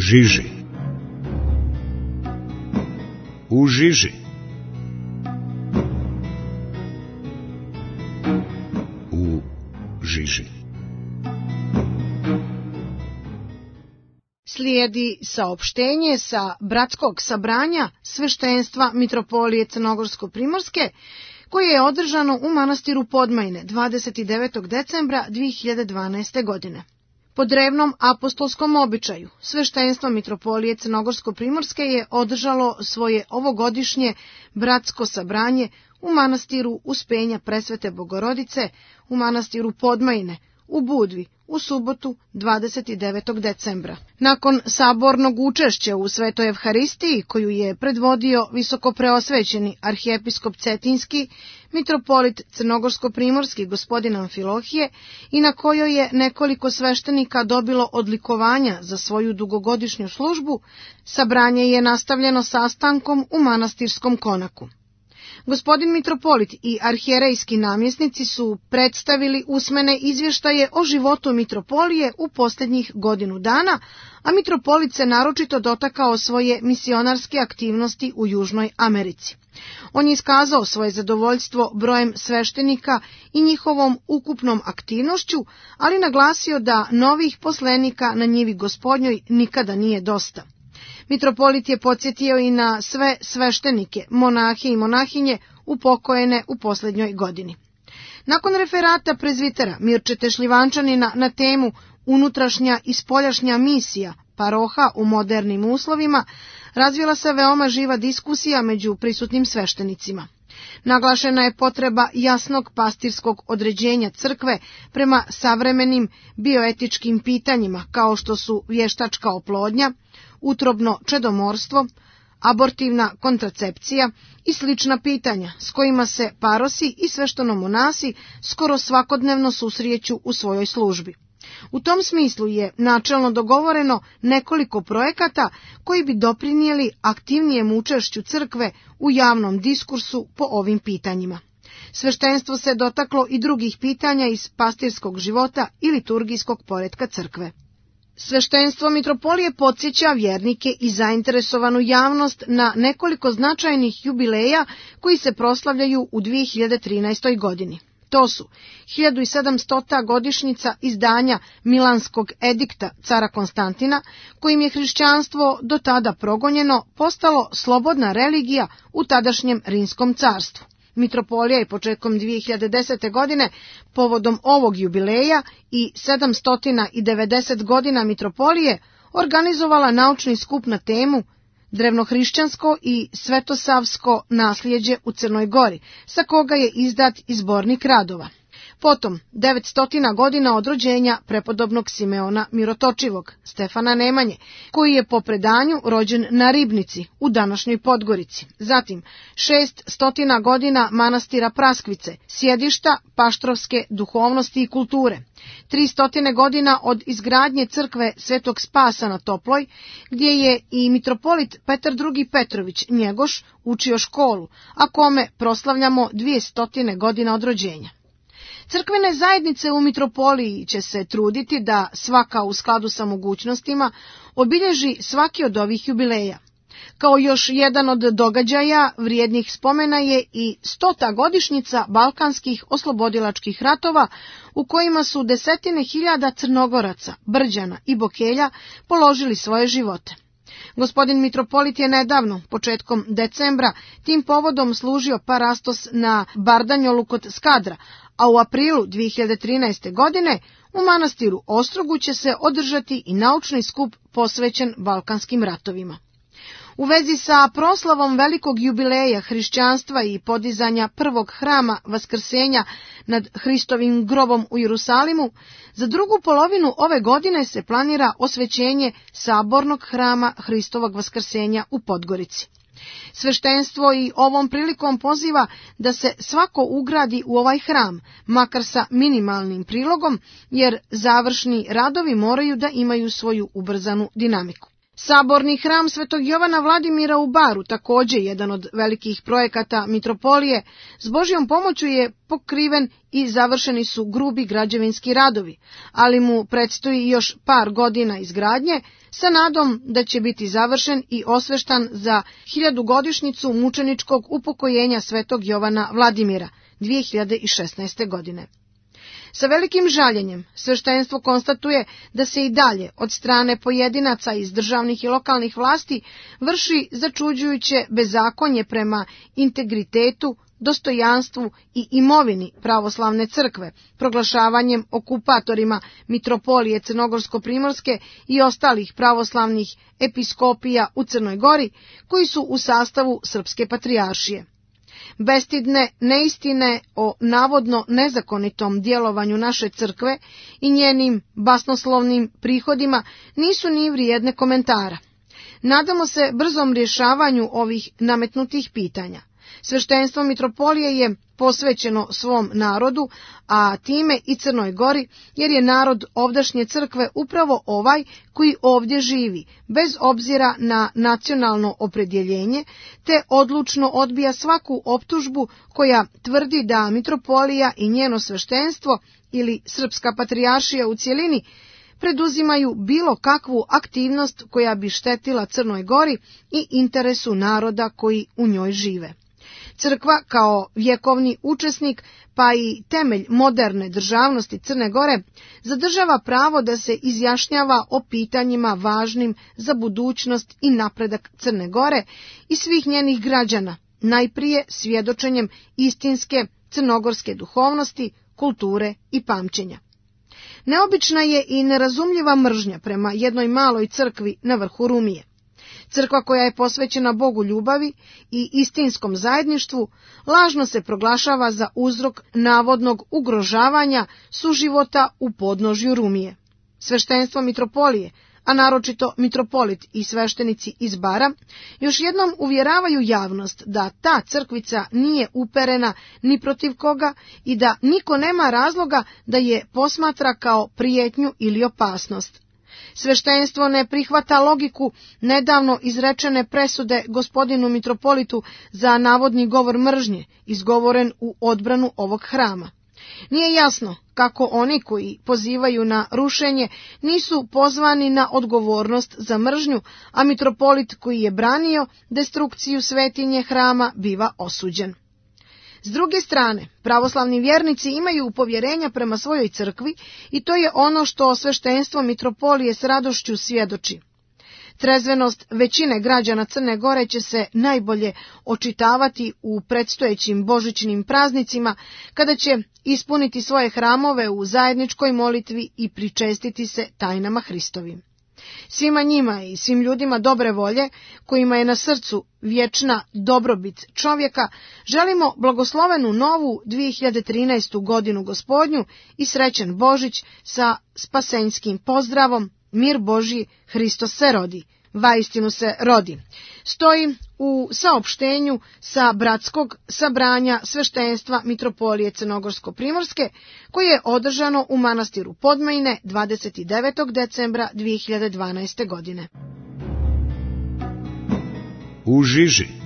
žiži. U žiži. U žiži. Slijedi saopštenje sa bratskog sabranja sveštenstva Mitropolije Crnogorsko-Primorske, koje je održano u manastiru Podmajne 29. decembra 2012. godine. Po drevnom apostolskom običaju, sveštenstvo Mitropolije Crnogorsko-Primorske je održalo svoje ovogodišnje bratsko sabranje u manastiru Uspenja Presvete Bogorodice, u manastiru Podmajne, u Budvi, u subotu 29. decembra. Nakon sabornog učešća u Svetoj Evharistiji, koju je predvodio visokopreosvećeni arhijepiskop Cetinski, mitropolit Crnogorsko-Primorski gospodin Amfilohije, i na kojoj je nekoliko sveštenika dobilo odlikovanja za svoju dugogodišnju službu, sabranje je nastavljeno sastankom u manastirskom konaku. Gospodin mitropolit i arhijerejski namjesnici su predstavili usmene izvještaje o životu mitropolije u posljednjih godinu dana, a mitropolit se naročito dotakao svoje misionarske aktivnosti u Južnoj Americi. On je iskazao svoje zadovoljstvo brojem sveštenika i njihovom ukupnom aktivnošću, ali naglasio da novih poslenika na njivi Gospodnjoj nikada nije dosta. Mitropolit je podsjetio i na sve sveštenike, monahe i monahinje upokojene u posljednjoj godini. Nakon referata prezvitera Mirčete Šljivančanina na temu unutrašnja i spoljašnja misija paroha u modernim uslovima, razvila se veoma živa diskusija među prisutnim sveštenicima. Naglašena je potreba jasnog pastirskog određenja crkve prema savremenim bioetičkim pitanjima kao što su vještačka oplodnja, utrobno čedomorstvo, abortivna kontracepcija i slična pitanja s kojima se parosi i sveštenomonasi skoro svakodnevno susreću u svojoj službi. U tom smislu je načelno dogovoreno nekoliko projekata koji bi doprinijeli aktivnijem učešću crkve u javnom diskursu po ovim pitanjima. Sveštenstvo se dotaklo i drugih pitanja iz pastirskog života i liturgijskog poretka crkve. Sveštenstvo mitropolije podsjeća vjernike i zainteresovanu javnost na nekoliko značajnih jubileja koji se proslavljaju u 2013. godini. To su 1700. godišnjica izdanja Milanskog edikta cara Konstantina, kojim je hrišćanstvo do tada progonjeno postalo slobodna religija u tadašnjem Rimskom carstvu. Mitropolija je početkom 2010. godine povodom ovog jubileja i 790 godina mitropolije organizovala naučni skup na temu Drevnohrišćansko i svetosavsko nasljeđe u Crnoj Gori, sa koga je izdat i zbornik radova. Potom 900 godina od rođenja prepodobnog Simeona Mirotočivog, Stefana Nemanje, koji je po predanju rođen na Ribnici u današnjoj Podgorici. Zatim 600 godina manastira Praskvice, sjedišta paštrovske duhovnosti i kulture. 300 godina od izgradnje crkve Svetog Spasa na Toploj, gdje je i mitropolit Petar II. Petrović Njegoš učio školu, a kome proslavljamo 200 godina od rođenja. Crkvene zajednice u mitropoliji će se truditi da svaka u skladu sa mogućnostima obilježi svaki od ovih jubileja. Kao još jedan od događaja vrijednih spomena je i 100. godišnjica Balkanskih oslobodilačkih ratova, u kojima su desetine hiljada Crnogoraca, Brđana i Bokelja položili svoje živote. Gospodin mitropolit je nedavno, početkom decembra, tim povodom služio parastos na Bardanjolu kod Skadra, a u aprilu 2013. godine u manastiru Ostrogu će se održati i naučni skup posvećen Balkanskim ratovima. U vezi sa proslavom velikog jubileja hrišćanstva i podizanja prvog hrama Vaskrsenja nad Hristovim grobom u Jerusalimu, za drugu polovinu ove godine se planira osvećenje sabornog hrama Hristovog Vaskrsenja u Podgorici. Sveštenstvo i ovom prilikom poziva da se svako ugradi u ovaj hram, makar sa minimalnim prilogom, jer završni radovi moraju da imaju svoju ubrzanu dinamiku. Saborni hram Svetog Jovana Vladimira u Baru, također jedan od velikih projekata mitropolije, s Božjom pomoću je pokriven i završeni su grubi građevinski radovi, ali mu predstoji još par godina izgradnje, sa nadom da će biti završen i osveštan za 1000-godišnjicu mučeničkog upokojenja Svetog Jovana Vladimira 2016. godine. Sa velikim žaljenjem sveštenstvo konstatuje da se i dalje od strane pojedinaca iz državnih i lokalnih vlasti vrši začuđujuće bezakonje prema integritetu, dostojanstvu i imovini pravoslavne crkve, proglašavanjem okupatorima mitropolije Crnogorsko-primorske i ostalih pravoslavnih episkopija u Crnoj Gori, koji su u sastavu Srpske patrijaršije. Bestidne neistine o navodno nezakonitom djelovanju naše crkve i njenim basnoslovnim prihodima nisu ni vrijedne komentara. Nadamo se brzom rješavanju ovih nametnutih pitanja. Sveštenstvo mitropolije je posvećeno svom narodu, a time i Crnoj Gori, jer je narod ovdašnje crkve upravo ovaj koji ovdje živi, bez obzira na nacionalno opredjeljenje, te odlučno odbija svaku optužbu koja tvrdi da mitropolija i njeno sveštenstvo ili Srpska patrijaršija u cjelini preduzimaju bilo kakvu aktivnost koja bi štetila Crnoj Gori i interesu naroda koji u njoj žive. Crkva kao vjekovni učesnik, pa i temelj moderne državnosti Crne Gore, zadržava pravo da se izjašnjava o pitanjima važnim za budućnost i napredak Crne Gore i svih njenih građana, najprije svjedočenjem istinske crnogorske duhovnosti, kulture i pamćenja. Neobična je i nerazumljiva mržnja prema jednoj maloj crkvi na vrhu Rumije. Crkva koja je posvećena Bogu ljubavi i istinskom zajedništvu lažno se proglašava za uzrok navodnog ugrožavanja suživota u podnožju Rumije. Sveštenstvo mitropolije, a naročito mitropolit i sveštenici iz Bara, još jednom uvjeravaju javnost da ta crkvica nije uperena ni protiv koga i da niko nema razloga da je posmatra kao prijetnju ili opasnost. Sveštenstvo ne prihvata logiku nedavno izrečene presude gospodinu mitropolitu za navodni govor mržnje, izgovoren u odbranu ovog hrama. Nije jasno kako oni koji pozivaju na rušenje nisu pozvani na odgovornost za mržnju, a mitropolit koji je branio destrukciju svetinje hrama biva osuđen. S druge strane, pravoslavni vjernici imaju povjerenja prema svojoj crkvi i to je ono što sveštenstvo mitropolije s radošću svjedoči. Trezvenost većine građana Crne Gore će se najbolje očitavati u predstojećim božićnim praznicima, kada će ispuniti svoje hramove u zajedničkoj molitvi i pričestiti se tajnama Hristovim. Svima njima i svim ljudima dobre volje, kojima je na srcu vječna dobrobit čovjeka, želimo blagoslovenu novu 2013. godinu Gospodnju i srećan Božić sa spasenjskim pozdravom: mir Božji, Hristos se rodi, vaistinu se rodi. Stoji u saopštenju sa bratskog sabranja sveštenstva mitropolije Crnogorsko-primorske, koje je održano u manastiru Podmajne 29. decembra 2012. godine. U žiži.